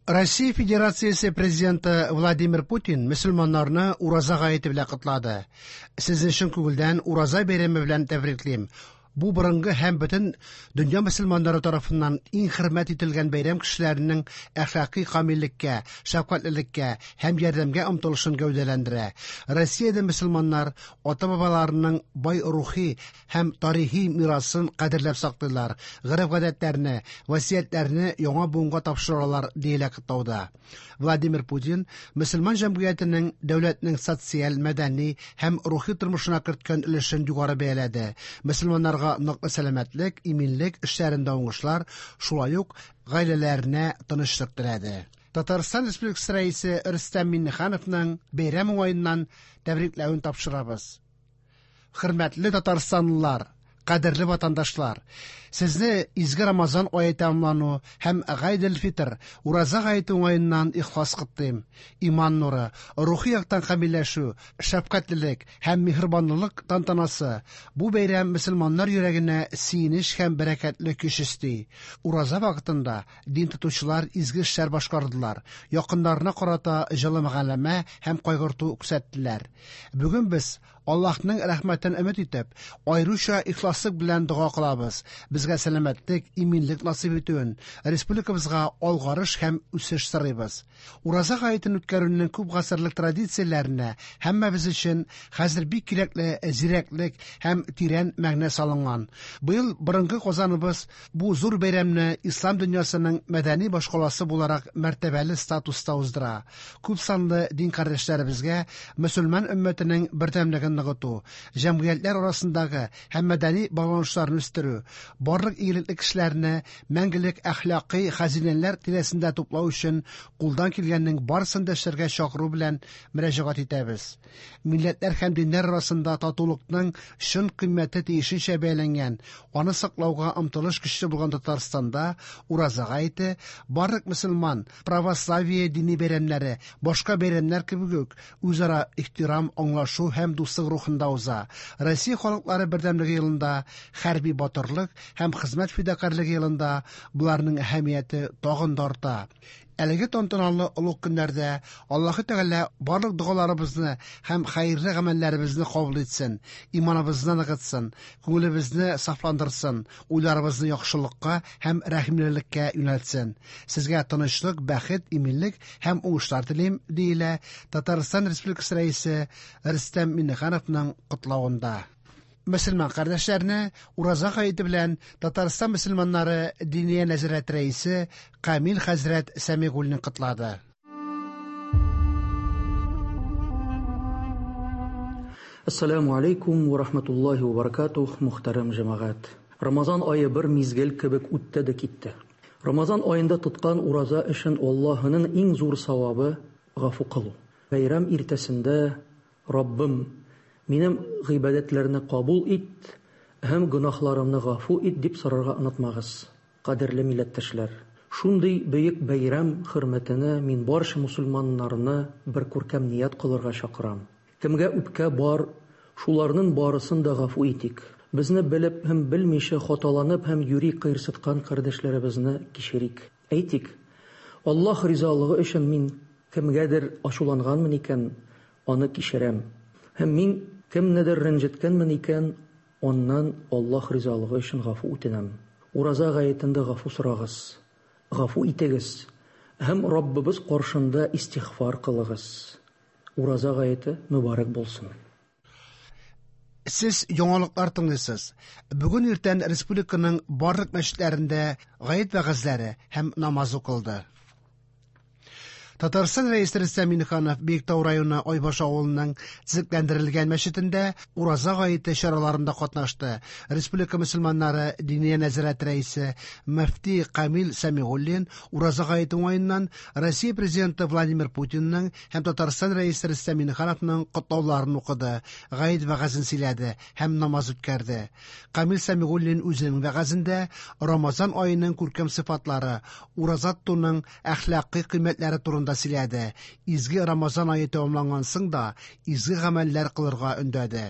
Россия Федерациясе Президенты Владимир Путин мөселманнарны Ураза гаете белән котлады. Сезне чын күңелдән Ураза бәйрәме белән тәбриклим. Бу борынгы һәм бөтен дөнья мөселманнары тарафыннан иң хөрмәт ителгән бәйрәм кешеләренең әхлакый камиллеккә, шәфкатьлелеккә һәм ярдәмгә омтылышын гәүдәләндерә. Россиядә мөселманнар ата-бабаларының бай рухи һәм тарихи мирасын кадерләп саклыйлар, гореф-гадәтләрне, васыятьләрне яңа буынга тапшыралар, диелә котлауда. Владимир Путин мөселман җәмгыятенең дәүләтнең социаль, мәдәни һәм рухи тормышына керткән өлешен югары бәяләде. Мөселманнарга ныклы сәламәтлек, иминлек, эшләрендә уңышлар, шулай ук гаиләләренә тынычлык теләде. Татарстан Республикасы Рәисе Рөстәм Миңнехановның бәйрәм уңаеннан тәбрикләвен тапшырабыз. Хөрмәтле татарстанлылар, кадерле ватандашлар! Сезне изге Рамазан ае тәмамлану һәм Гайд-эль-Фитр, Ураза гаете уңаеннан ихлас котлыйм. Иман нуры, рухи яктан камилләшү, шәфкатьлелек һәм миһербанлылык тантанасы, бу бәйрәм мөселманнар йөрәгенә сөенеч һәм бәрәкәтле көч өсти. Ураза вакытында дин тотучылар изге эшләр башкардылар, якыннарына карата җылы мөгамәлә һәм кайгырту күрсәттеләр. Бүген без Аллаһның рәхмәтен өмет итеп, аеруча ихласлык белән дога кылабыз. Безгә сәламәтлек, иминлек насыйп итүен, республикабызга алгарыш һәм үсеш сорыйбыз. Ураза гаетен үткәрүнең күп гасырлык традицияләренә һәммәбез өчен хәзер бик кирәкле зирәклек һәм тирән мәгънә салынган. Быел борынгы Казаныбыз бу зур бәйрәмне ислам дөньясының мәдәни башкаласы буларак мәртәбәле статуста уздыра. Күпсанлы дин кардәшләребезгә мөселман өммәтенең бердәмлеген ныгыту, җәмгыятьләр арасындагы һәм мәдәни багланышларны үстерү, барлык игелекле кешеләрне мәңгелек әхлакый хәзинәләр тирәсендә туплау өчен кулдан килгәннең барысын да эшләргә чакыру белән мөрәҗәгать итәбез. Милләтләр һәм диннәр арасында татулыкның чын кыйммәте тиешенчә бәяләнгән, аны саклауга омтылыш көчле булган Татарстанда Ураза гаете барлык мөселман, православие дини бәйрәмнәре, башка бәйрәмнәр кебек үк, үзара ихтирам, аңлашу һәм дуслык рухында уза. Россия халыклары бердәмлеге елында, хәрби батырлык һәм хезмәт фидакарьлеге елында боларның әһәмияте тагын да арта. Әлеге тантаналы олуг көннәрдә Аллаһы Тәгалә барлык догаларыбызны һәм хәерле гамәлләребезне кабул итсен, иманыбызны ныгытсын, күңелебезне сафландырсын, уйларыбызны яхшылыкка һәм рәхимлелеккә юнәлтсен. Сезгә тынычлык, бәхет, иминлек һәм уңышлар телим, диелә Татарстан Республикасы Рәисе Рөстәм Миңнехановның котлавында. Мөселман кардәшләрне Ураза гаете белән Татарстан мөселманнары Диния нәзарәте рәисе Камил хәзрәт Сәмигуллин котлады. Әссәламү алейкум вә рахматуллаһи вә баракатуһ, мөхтәрәм җәмәгать! Рамазан ае бер мизгел кебек үтте дә китте. Рамазан аенда тоткан ураза өчен Аллаһының иң зур савабы, гафу кылу. Бәйрәм иртәсендә Раббым, минем гыйбадәтләрне кабул ит һәм гөнаһларымны гафу ит, дип сорарга онытмагыз, кадерле милләттәшләр. Шундый бөек бәйрәм хөрмәтенә мин барча мусульманнарны бер күркәм ният кылырга чакырам. Кемгә үпкә бар, шуларнын барысын да гафу итик. Безне белеп һәм белмичә хаталанып һәм юри кыерсыткан кардәшләребезне кичерик. Әйтик, Аллаһ ризалыгы өчен мин кемгәдер ачуланганмын икән, аны кичерәм. Һәм мин кемнедер рәнҗеткәнмен икән, аннан Аллаһ ризалыгы өчен гафу үтенәм. Ураза гаетендә гафу сорагыз, гафу итегез һәм Раббыбыз каршында истигъфар кылыгыз. Ураза гаете мөбарәк булсын! Сез яңалыклар тыңлыйсыз. Бүген иртән республиканың барлык мәчетләрендә гает вәгазьләре һәм намаз укылды. Татарстан Рәисе Рөстәм Миңнеханов Биектау районы Айбаш авылының төзекләндерелгән мәчетендә Ураза гаете чараларында катнашты. Республика мөселманнары Диния нәзарәте рәисе мөфти Камил Сәмигуллин Ураза гаете уңаеннан Россия Президенты Владимир Путинның һәм Татарстан Рәисе Рөстәм Миңнехановның котлауларын укыды, гает вәгазен сөйләде һәм намаз үткәрде. Камил Сәмигуллин үзенең вәгазендә Рамазан аеның күркәм сыйфатлары, ураза тотуның әхлакый кыйммәтләре турында сөйләде, изге Рамазан ае тәмамланган соң да изге гамәлләр кылырга өндәде.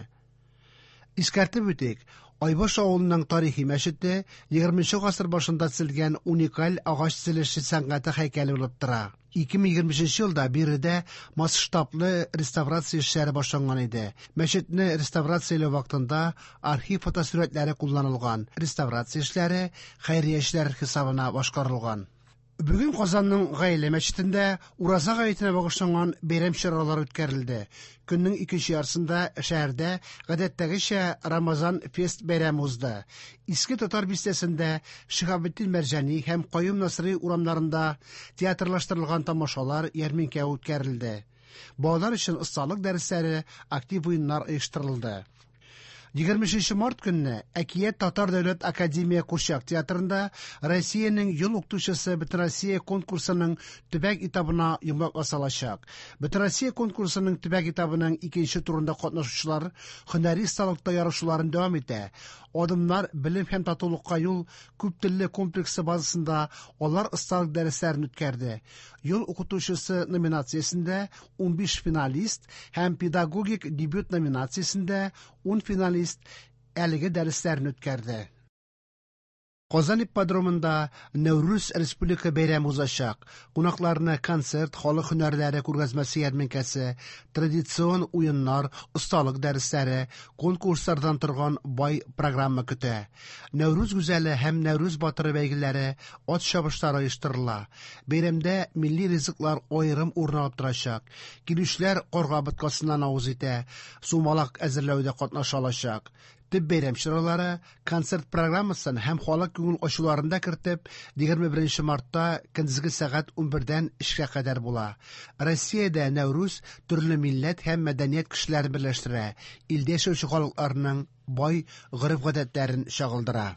Искәртеп үтик, Айбаш авылының тарихи мәчете 20 гасыр башында төзелгән уникаль агач төзелеше сәнгате һәйкәле булып тора. 2023 елда биредә масштаблы реставрация эшләре башланган иде. Мәчетне реставрацияләү вакытында архив фотосурәтләре кулланылган. Реставрация эшләре хәйриячеләр хисабына башкарылган. Бүген Казанның Гаилә мәчетендә Ураза гаетенә багышланган бәйрәм чаралары үткәрелде. Көннең икенче яртысында шәһәрдә гадәттәгечә Рамазан фест бәйрәме узды. Иске Татар бистәсендә Шиһабетдин Мәрҗани һәм Каюм Насыйри урамнарында театрлаштырылган тамашалар, ярминкә үткәрелде. Балалар өчен осталык дәресләре, актив уеннар оештырылды. 23 март көнне Әкият татар дәүләт академия курчак театрында Россиянең ел укытучысы Бөтенроссия конкурсының төбәк этабына йомгак ясалачак. Бөтенроссия конкурсының төбәк этабының икенче турында катнашучылар һөнәри осталыкта ярышуларын дәвам итә. Адымнар белем һәм татулыкка юл күп телле комплексы базасында алар осталык дәресләрен үткәрде. Ел укытучысы номинациясендә 15 финалист һәм педагогик дебют номинациясендә 10 финалист әлеге дәресләрне үткәрде. Казан ипподромында Нәүрүз республика бәйрәме узачак. Кунакларны концерт, халык һөнәрләре күргәзмәсе ярминкәсе, традицион уеннар, осталык дәресләре, конкурслардан торган бай программа көтә. Нәүрүз гүзәле һәм Нәүрүз батыры бәйгеләре, ат чабышлары оештырыла. Бәйрәмдә милли ризыклар аерым урын алып торачак. Килүчеләр карга боткасыннан авыз итә, сумалак әзерләүдә катнаша алачак. Төп бәйрәм чаралары концерт программасын һәм халык күңел ачуларын да кертеп, 21 мартта көндезге сәгать 11-дән 3-кә кадәр була. Россиядә Нәүрүз төрле милләт һәм мәдәният кешеләрен берләштерә, илдә яшәүче халыкларның бай гореф-гадәтләрен чагылдыра.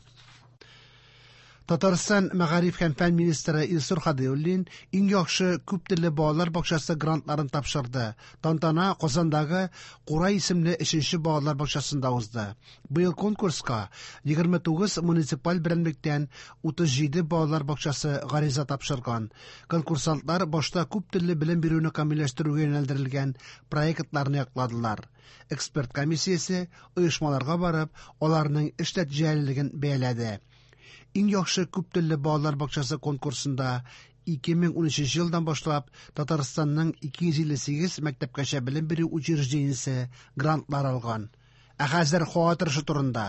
Татарстан мәгариф һәм фән министры Илсур Һадиуллин иң яхшы күп телле балалар бакчасы грантларын тапшырды. Тантана Казандагы Курай исемле 3нче балалар бакчасында узды. Быел конкурска 29 муниципаль берәмлектән 37 балалар бакчасы гариза тапшырган. Конкурсантлар башта күп телле белем бирүне камилләштерүгә юнәлдерелгән проектларны якладылар. Эксперт комиссиясе оешмаларга барып, аларның эш нәтиҗәлелеген бәяләде. Иң яхшы күп телле балалар бакчасы конкурсында 2013 елдан башлап Татарстанның 258 мәктәпкәчә белем бирү учреждениесе грантлар алган. Ә хәзер һава торышы турында.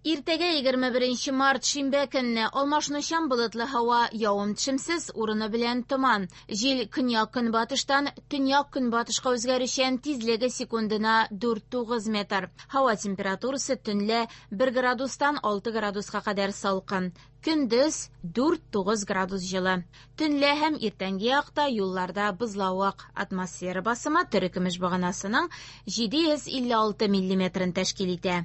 Иртәгә 21 март шимбә көнне алмашынучан болытлы һава, явым-төшемсез, урыны белән томан. Җил көньяк-көнбатыштан төньяк-көнбатышка үзгәрүчән, тизлеге секундына 4-9 метр. Һава температурасы төнлә 1 градустан 6 градуска кадәр салкын. Көндез 4-9 градус җылы. Төнлә һәм иртәнге якта юлларда бозлавык. Атмосфера басымы терекөмеш баганасының 756 миллиметрын тәшкил итә.